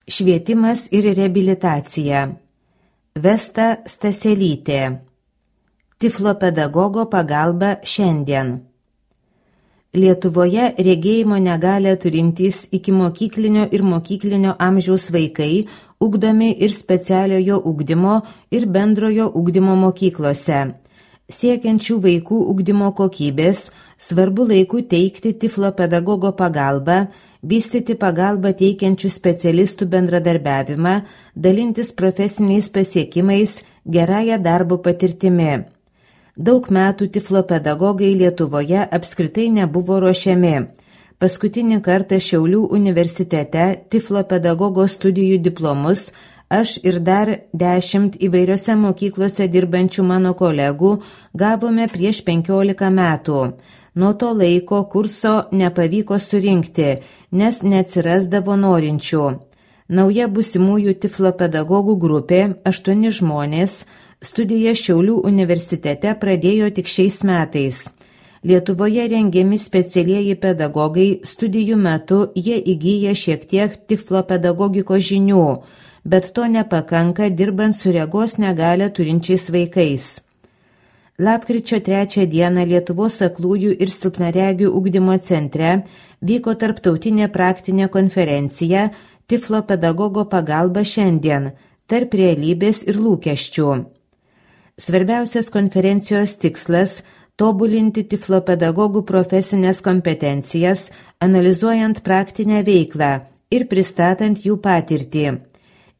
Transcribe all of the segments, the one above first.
Švietimas ir reabilitacija. Vesta Staselytė. Tiflopedagogo pagalba šiandien. Lietuvoje regėjimo negalią turintys ikimokyklinio ir mokyklinio amžiaus vaikai ugdomi ir specialiojo ugdymo ir bendrojo ugdymo mokyklose. Siekiančių vaikų ugdymo kokybės svarbu laiku teikti tiflopedagogo pagalbą, vystyti pagalbą teikiančių specialistų bendradarbiavimą, dalintis profesiniais pasiekimais, gerąją darbo patirtimi. Daug metų tiflopedagogai Lietuvoje apskritai nebuvo ruošiami. Paskutinį kartą Šiaulių universitete tiflopedagogo studijų diplomus aš ir dar 10 įvairiose mokyklose dirbančių mano kolegų gavome prieš 15 metų. Nuo to laiko kurso nepavyko surinkti, nes neatsirasdavo norinčių. Nauja būsimųjų tiflopedagogų grupė, 8 žmonės, studiją Šiaulių universitete pradėjo tik šiais metais. Lietuvoje rengiami specialieji pedagogai, studijų metu jie įgyja šiek tiek tiflopedagogikos žinių, bet to nepakanka dirbant su regos negalią turinčiais vaikais. Lapkričio 3 dieną Lietuvos aklųjų ir silpnaregių ugdymo centre vyko tarptautinė praktinė konferencija Tiflopedagogo pagalba šiandien – tarp realybės ir lūkesčių. Svarbiausias konferencijos tikslas – tobulinti tiflopedagogų profesinės kompetencijas, analizuojant praktinę veiklą ir pristatant jų patirtį.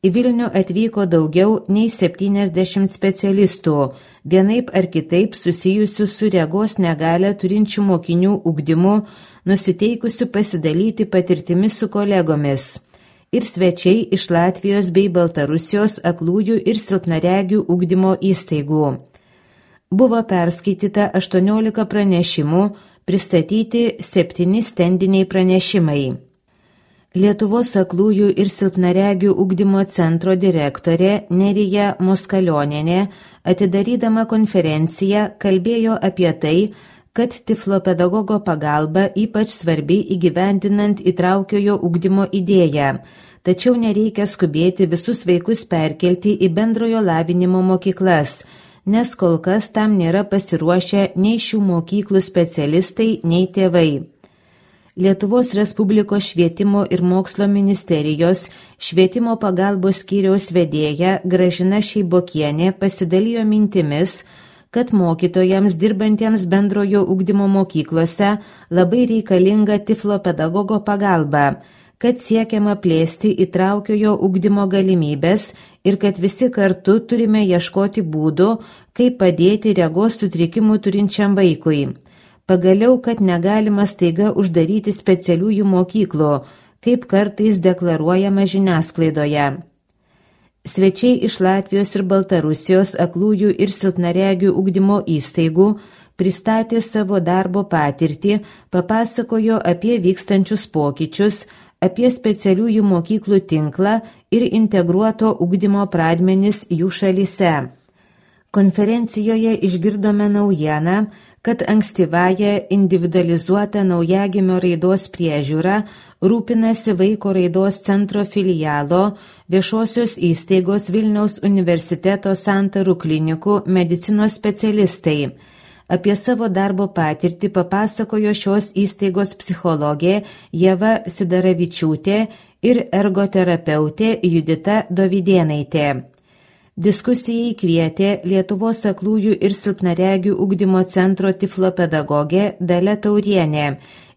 Į Vilnių atvyko daugiau nei 70 specialistų, vienaip ar kitaip susijusių su regos negalią turinčių mokinių ugdymu, nusiteikusių pasidalyti patirtimi su kolegomis. Ir svečiai iš Latvijos bei Baltarusijos aklųjų ir silpnaregių ugdymo įstaigų. Buvo perskaityta 18 pranešimų, pristatyti 7 stendiniai pranešimai. Lietuvos aklųjų ir silpnaregių ugdymo centro direktorė Nerija Moskalionienė, atidarydama konferenciją, kalbėjo apie tai, kad tiflopedagogo pagalba ypač svarbi įgyvendinant įtraukiojo ugdymo idėją, tačiau nereikia skubėti visus vaikus perkelti į bendrojo lavinimo mokyklas, nes kol kas tam nėra pasiruošę nei šių mokyklų specialistai, nei tėvai. Lietuvos Respublikos švietimo ir mokslo ministerijos švietimo pagalbos skyriaus vedėja Gražina Šeibokienė pasidalijo mintimis, kad mokytojams dirbantiems bendrojo ugdymo mokyklose labai reikalinga tiflopedagogo pagalba, kad siekiama plėsti įtraukiojo ugdymo galimybės ir kad visi kartu turime ieškoti būdų, kaip padėti regos sutrikimų turinčiam vaikui. Pagaliau, kad negalima staiga uždaryti specialiųjų mokyklų, kaip kartais deklaruojama žiniasklaidoje. Svečiai iš Latvijos ir Baltarusijos aklųjų ir silpnaregių ugdymo įstaigų pristatė savo darbo patirtį, papasakojo apie vykstančius pokyčius, apie specialiųjų mokyklų tinklą ir integruoto ugdymo pradmenis jų šalyse. Konferencijoje išgirdome naujieną, kad ankstyvąją individualizuotą naujagimio raidos priežiūrą rūpinasi Vaiko raidos centro filialo viešosios įstaigos Vilniaus universiteto Santarų klinikų medicinos specialistai. Apie savo darbo patirtį papasakojo šios įstaigos psichologė Ieva Sidaravičiūtė ir ergoterapeutė Judita Dovydėnaitė. Diskusijai kvietė Lietuvos aklųjų ir silpnaregių ugdymo centro tiflopedagogė Dalia Taurienė,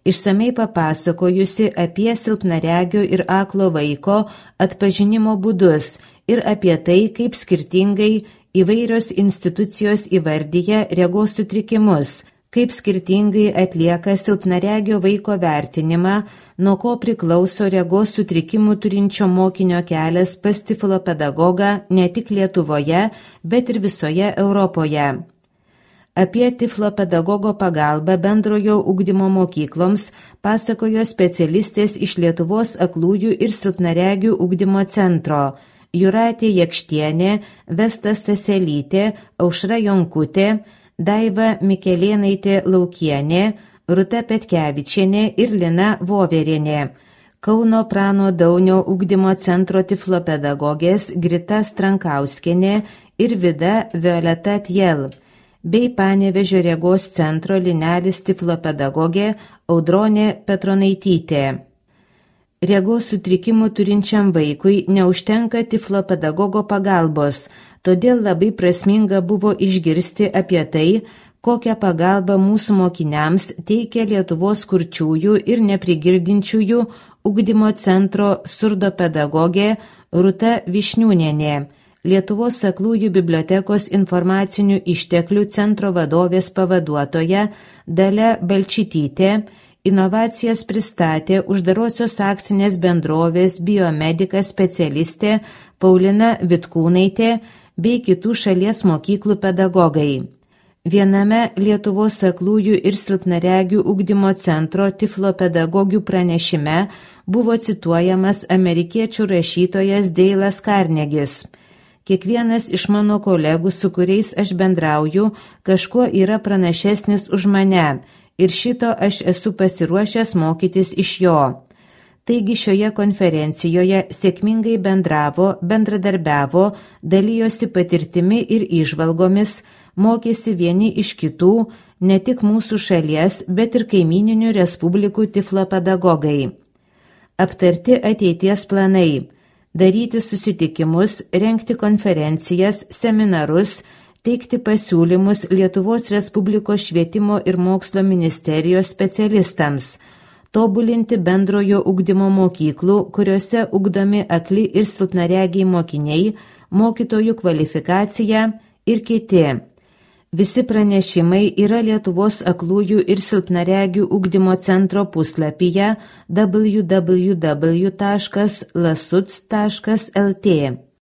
išsamei papasakojusi apie silpnaregio ir aklo vaiko atpažinimo būdus ir apie tai, kaip skirtingai įvairios institucijos įvardyja regos sutrikimus, kaip skirtingai atlieka silpnaregio vaiko vertinimą, nuo ko priklauso regos sutrikimų turinčio mokinio kelias pas tiflopedagogą ne tik Lietuvoje, bet ir visoje Europoje. Apie tiflopedagogo pagalbą bendrojo ugdymo mokykloms pasakojo specialistės iš Lietuvos aklųjų ir silpnaregių ugdymo centro Jūratė Jakštienė, Vesta Staselytė, Aušra Jonkutė, Daiva Mikelėnaitė Laukienė, Rūta Petkevičienė ir Lina Voverienė. Kauno Prano Daunio ugdymo centro tiflopedagogės Grita Strankauskienė ir Vida Violeta Tjel, bei Panevėžio regos centro Linelis tiflopedagogė Audronė Petronaitytė. Regos sutrikimų turinčiam vaikui neužtenka tiflopedagogo pagalbos, todėl labai prasminga buvo išgirsti apie tai, kokią pagalbą mūsų mokiniams teikia Lietuvos kurčiųjų ir neprigirdinčiųjų ugdymo centro surdopedagogė Rūta Višniūnienė, Lietuvos aklųjų bibliotekos informacinių išteklių centro vadovės pavaduotoja Dalia Balčytytė, inovacijas pristatė uždarosios akcinės bendrovės biomedika specialistė Paulina Vitkūnaitė bei kitų šalies mokyklų pedagogai. Viename Lietuvos aklųjų ir silpnaregių ugdymo centro tiflopedagogių pranešime buvo cituojamas amerikiečių rašytojas Deilas Karnegis. Kiekvienas iš mano kolegų, su kuriais aš bendrauju, kažkuo yra pranašesnis už mane, ir šito aš esu pasiruošęs mokytis iš jo. Taigi šioje konferencijoje sėkmingai bendradarbiavo, dalijosi patirtimi ir įžvalgomis, mokėsi vieni iš kitų, ne tik mūsų šalies, bet ir kaimyninių respublikų tiflopedagogai. Aptarti ateities planai, daryti susitikimus, rengti konferencijas, seminarus, teikti pasiūlymus Lietuvos Respublikos švietimo ir mokslo ministerijos specialistams, tobulinti bendrojo ugdymo mokyklų, kuriuose ugdomi akli ir silpnaregiai mokiniai, mokytojų kvalifikacija ir kiti. Visi pranešimai yra Lietuvos aklųjų ir silpnaregių ugdymo centro puslapyje www.lasuc.lt.